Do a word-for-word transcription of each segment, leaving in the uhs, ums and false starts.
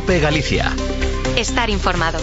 COPE Galicia. Estar informado.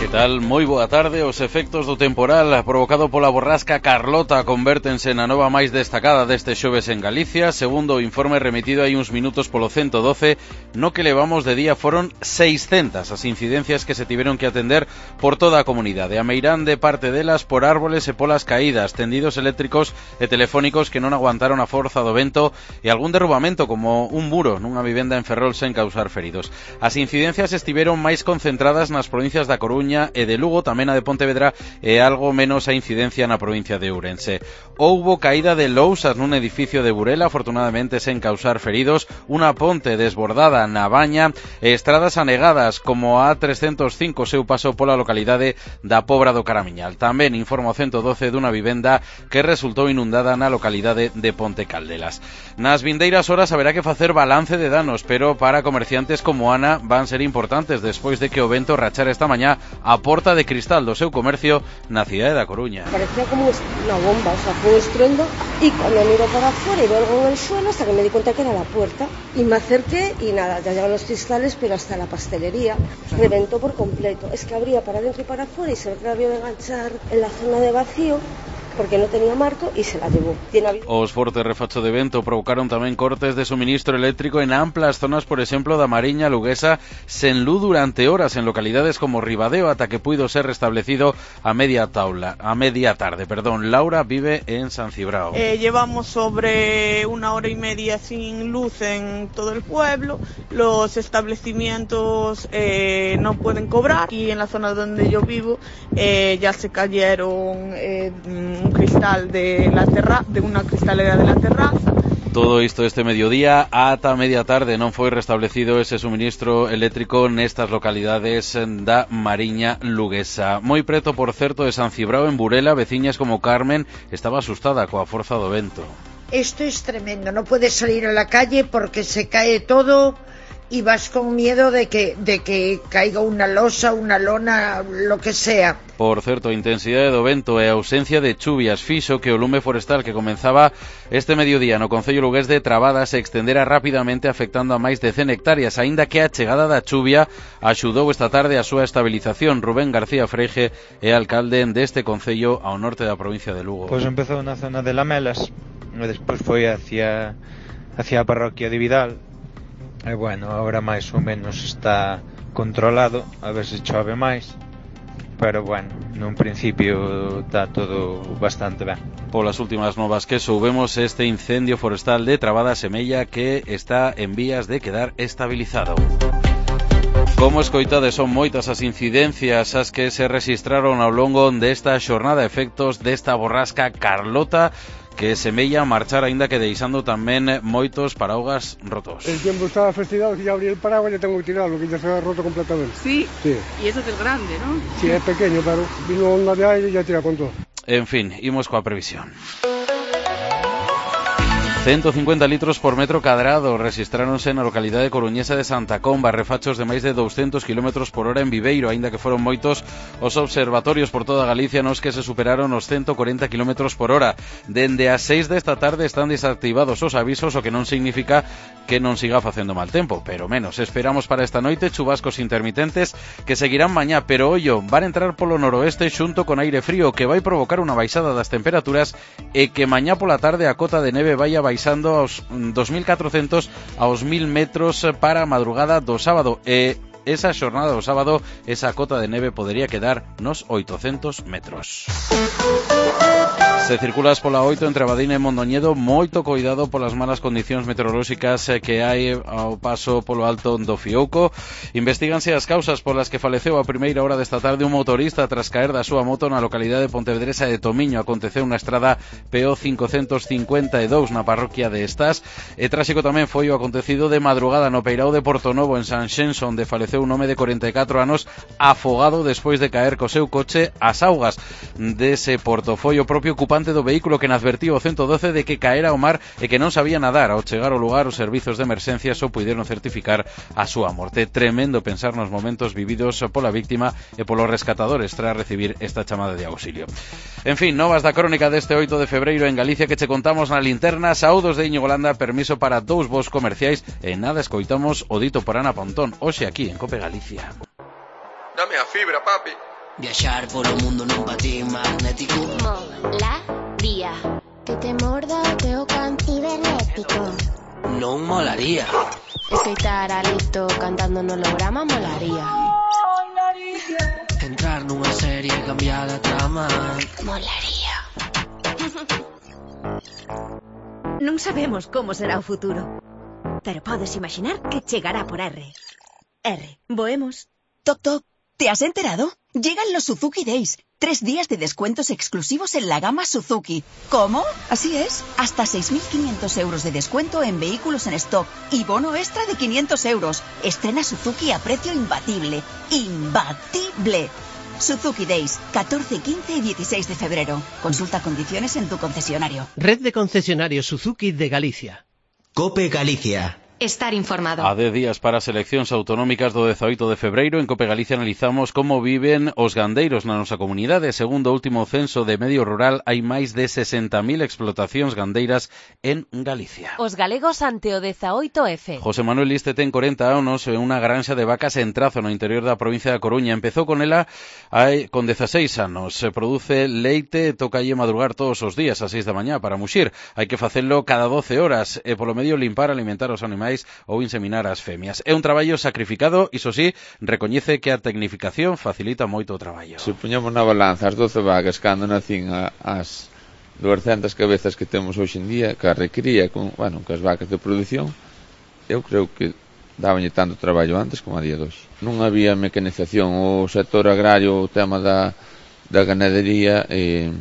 Que tal? Moi boa tarde. Os efectos do temporal provocado pola borrasca Carlota convértense na nova máis destacada deste xoves en Galicia. Segundo o informe remitido hai uns minutos polo ciento doce, no que levamos de día foron seiscentas as incidencias que se tiveron que atender por toda a comunidade. A meirán de parte delas por árboles e polas caídas, tendidos eléctricos e telefónicos que non aguantaron a forza do vento e algún derrubamento como un muro nunha vivenda en Ferrol sen causar feridos. As incidencias estiveron máis concentradas nas provincias da Coruña e de Lugo, tamén a de Pontevedra e algo menos a incidencia na provincia de Ourense. Houbo caída de lousas nun edificio de Burela, afortunadamente sen causar feridos, unha ponte desbordada na Baña e estradas anegadas como a trescentos cinco seu paso pola localidade da Pobra do Caramiñal. Tamén informa o ciento doce dunha vivenda que resultou inundada na localidade de Ponte Caldelas. Nas vindeiras horas haberá que facer balance de danos, pero para comerciantes como Ana van ser importantes despois de que o vento rachara esta mañá a porta de cristal do seu comercio na cidade da Coruña. Parecía como una bomba, o sea, fue un estruendo y cuando miro para afuera y veo algo en el suelo hasta que me di cuenta que era la puerta y me acerqué y nada, ya llegan los cristales, pero hasta la pastelería reventó por completo. Es que abría para adentro y para afuera y se ve que la había de enganchar en la zona de vacío porque no tenía marco y se la llevó. Tiene... Os fortes refachos de vento provocaron tamén cortes de suministro eléctrico en amplas zonas, por exemplo, da Mariña Luguesa, sen luz durante horas en localidades como Ribadeo, ata que puido ser restablecido a media taula, a media tarde, perdón. Laura vive en San Cibrao. Eh, llevamos sobre una hora y media sin luz en todo el pueblo, los establecimientos eh, no pueden cobrar y en la zona donde yo vivo eh, ya se cayeron eh, un cristal de la terra de unha cristalera de la terraza. Todo isto este mediodía ata media tarde non foi restablecido ese suministro eléctrico nestas localidades da Mariña Luguesa. Moi preto, por certo, de San Cibrao, en Burela, veciñas como Carmen estaba asustada coa forza do vento. Esto es tremendo, no puedes salir a la calle porque se cae todo y vas con miedo de que de que caiga una losa, una lona, lo que sea. Por certo, a intensidade do vento e a ausencia de chuvias fixo que o lume forestal que comenzaba este mediodía no concello lugués de Trabada se extendera rapidamente afectando a máis de cen hectáreas, aínda que a chegada da chuvia axudou esta tarde a súa estabilización. Rubén García Freige é alcalde deste concello ao norte da provincia de Lugo. Pois empezou na zona de Lamelas e despois foi hacia hacia a parroquia de Vidal. E bueno, agora máis ou menos está controlado, a ver se chove máis, pero bueno, nun principio está todo bastante ben. Polas últimas novas que soubemos, este incendio forestal de Trabada semella que está en vías de quedar estabilizado. Como escoitades, son moitas as incidencias as que se registraron ao longo desta xornada, efectos desta borrasca Carlota, que semella marchar aínda que deixando tamén moitos paraugas rotos. El tiempo estaba festigado, si ya abrí el paraguas ya tengo que tirarlo, que ya se ha roto completamente. Sí, sí. Y eso que es grande, ¿no? Sí, es pequeño, pero vino onda de aire y ya tira con todo. En fin, imos coa previsión. ciento cincuenta litros por metro cadrado rexistráronse na localidade coruñesa de Santa Comba, refachos de máis de douscentos kilómetros por hora en Viveiro, aínda que foron moitos os observatorios por toda Galicia nos que se superaron os ciento cuarenta kilómetros por hora. Dende as seis desta tarde están desactivados os avisos, o que non significa que non siga facendo mal tempo, pero menos. Esperamos para esta noite chubascos intermitentes que seguirán mañá, pero ollo, van entrar polo noroeste xunto con aire frío que vai provocar unha baixada das temperaturas e que mañá pola tarde a cota de neve vai a baixando aos dos mil catrocentos aos mil metros para a madrugada do sábado, e esa xornada do sábado esa cota de neve podería quedar nos oitocentos metros. Se circulas pola oito entre Abadín e Mondoñedo, moito coidado polas malas condicións meteorolóxicas que hai ao paso polo alto do Fiouco. Investíganse as causas polas que faleceu a primeira hora desta tarde un motorista tras caer da súa moto na localidade pontevedresa de Tomiño. Aconteceu na estrada P O cincocentos cincuenta e dous na parroquia de Estás. E tráxico tamén foi o acontecido de madrugada no Peirao de Portonovo, en Sanxenxo, onde faleceu un home de corenta e catro anos afogado despois de caer co seu coche ás augas dese porto. Foi o propio ocupante ocupante do vehículo que advertiu o ciento doce de que caera ao mar e que non sabía nadar. Ao chegar ao lugar, os servizos de emerxencia só puideron certificar a súa morte. Tremendo pensar nos momentos vividos pola víctima e polos rescatadores tras recibir esta chamada de auxilio. En fin, novas da crónica deste oito de febreiro en Galicia que che contamos na linterna. Saúdos de Íñigo Landa, permiso para dous voos comerciais e nada escoitamos o dito por Ana Pontón, hoxe aquí en Cope Galicia. Dame a fibra, papi. Viaxar polo mundo nun patín magnético. Molaría. Que te morda o teu can cibernético. Non molaría. Escoitar a Lito cantando no holograma molaría. Entrar nunha serie e cambiar a trama molaría. Non sabemos como será o futuro, pero podes imaginar que chegará por R. R, voemos. Toc, toc, ¿te has enterado? Llegan los Suzuki Days. Tres días de descuentos exclusivos en la gama Suzuki. ¿Cómo? Así es. Hasta seis mil quinientos euros de descuento en vehículos en stock y bono extra de quinientos euros. Estrena Suzuki a precio imbatible. ¡Imbatible! Suzuki Days, catorce, quince y dieciséis de febrero. Consulta condiciones en tu concesionario. Red de concesionarios Suzuki de Galicia. Cope Galicia. Estar informado. A dez días para as eleccións autonómicas do dezaoito de febreiro, en Cope Galicia analizamos como viven os gandeiros na nosa comunidade. Segundo o último censo de medio rural, hai máis de sesenta mil explotacións gandeiras en Galicia. Os galegos ante o dezaoito F. José Manuel Liste ten corenta anos e unha granxa de vacas en Trazo, no interior da provincia da Coruña. Empezou con ela hai, con dezaseis anos. Se produce leite e toca lle madrugar todos os días a seis da mañá para muxir. Hai que facelo cada doce horas e polo medio limpar, alimentar os animais ou inseminar as femias. É un traballo sacrificado, iso sí, recoñece que a tecnificación facilita moito o traballo. Se poñamos na balanza as doce vacas cando nacín as duascentas cabezas que temos hoxe en día, que a recría con, bueno, que as vacas de produción, eu creo que dabanlle tanto traballo antes como a día de hoxe. Non había mecanización, o sector agrario, o tema da, da ganadería, eh,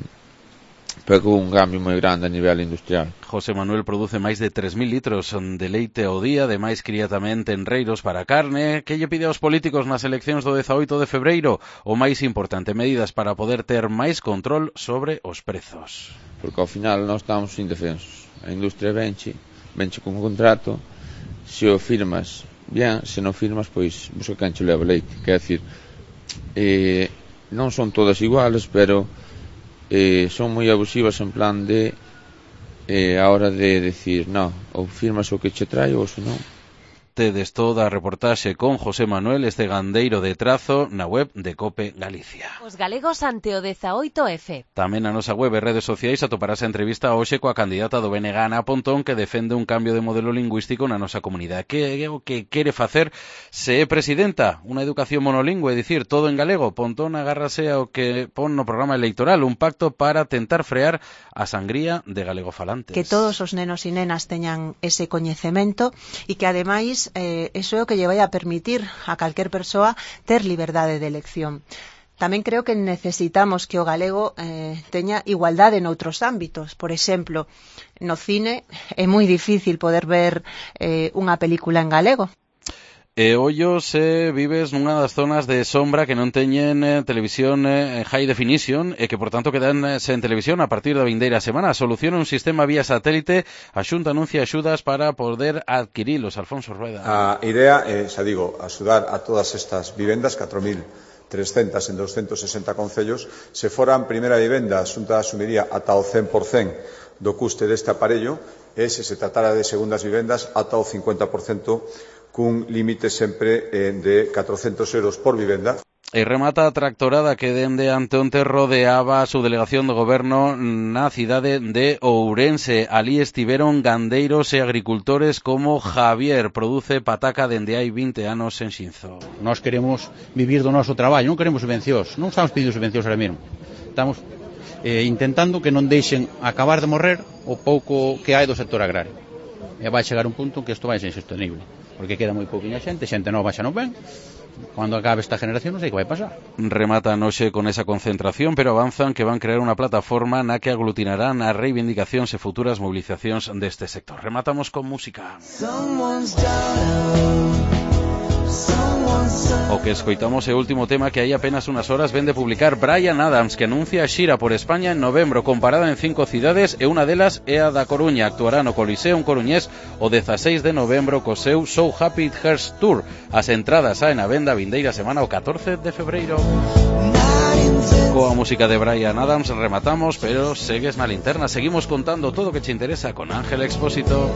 pegou un cambio moi grande a nivel industrial. José Manuel produce máis de tres mil litros de leite ao día, ademais cría tamén tenreiros para carne. Que lle pide aos políticos nas eleccións do dezaoito de febreiro? O máis importante, medidas para poder ter máis control sobre os prezos. Porque ao final nós estamos indefensos. A industria venche, venche con un contrato, se o firmas, bien, se non firmas, pois busca cancho leva leite. Quer decir, eh, non son todas iguales, pero eh, son moi abusivas en plan de eh, a hora de decir, no, ou firmas o que che traio ou se non. Tedes toda a reportaxe con José Manuel, este gandeiro de Trazo, na web de Cope Galicia. Os galegos ante o dezaoito F. Tamén na nosa web e redes sociais atoparás a entrevista hoxe coa candidata do B N G, Ana Pontón, que defende un cambio de modelo lingüístico na nosa comunidade. Que é o que quere facer se é presidenta? Unha educación monolingüe, é dicir, todo en galego. Pontón agárrase ao que pon no programa electoral, un pacto para tentar frear a sangría de galegofalantes. Que todos os nenos e nenas teñan ese coñecemento e que ademais Eh, eso é o que lle vai a permitir a calquer persoa ter liberdade de elección. Tamén creo que necesitamos que o galego eh, teña igualdade noutros ámbitos. Por exemplo, no cine é moi difícil poder ver eh, unha película en galego. E ollo se vives nunha das zonas de sombra que non teñen eh, televisión eh, high definition e que por tanto quedan eh, sen televisión a partir da vindeira semana. Soluciona un sistema vía satélite. A Xunta anuncia axudas para poder adquirilos. Alfonso Rueda. A idea é, xa digo, axudar a todas estas vivendas, catro mil trescentas en doscientos sesenta concellos. Se foran primeira vivenda, a Xunta asumiría ata o cen por cento do custe deste aparello e se se tratara de segundas vivendas ata o cincuenta por cento cun límite sempre eh, de catrocentos euros por vivenda. E remata a tractorada que dende ante onte rodeaba a subdelegación do goberno na cidade de Ourense. Alí estiveron gandeiros e agricultores como Javier, produce pataca dende hai vinte anos en Xinzo. Nós queremos vivir do noso traballo, non queremos subvencións, non estamos pedindo subvencións ahora mesmo. Estamos eh, intentando que non deixen acabar de morrer o pouco que hai do sector agrario. E vai chegar un punto en que isto vai ser insostenible, porque queda moi pouquinha xente, xente nova xa non ven. Cando acabe esta generación non sei que vai pasar. Rematan hoxe con esa concentración, pero avanzan que van crear unha plataforma na que aglutinarán as reivindicacións e futuras movilizacións deste sector. Rematamos con música. O que escoitamos é o último tema que hai apenas unas horas ven de publicar Bryan Adams, que anuncia a xira por España en novembro, comparada en cinco cidades, e unha delas é a da Coruña. Actuará no Coliseum Coruñés o dezaseis de novembro co seu So Happy It Hurts Tour. As entradas saen a venda a vindeira semana o catorce de febreiro. Coa música de Bryan Adams rematamos, pero segues na linterna. Seguimos contando todo o que te interesa con Ángel Expósito.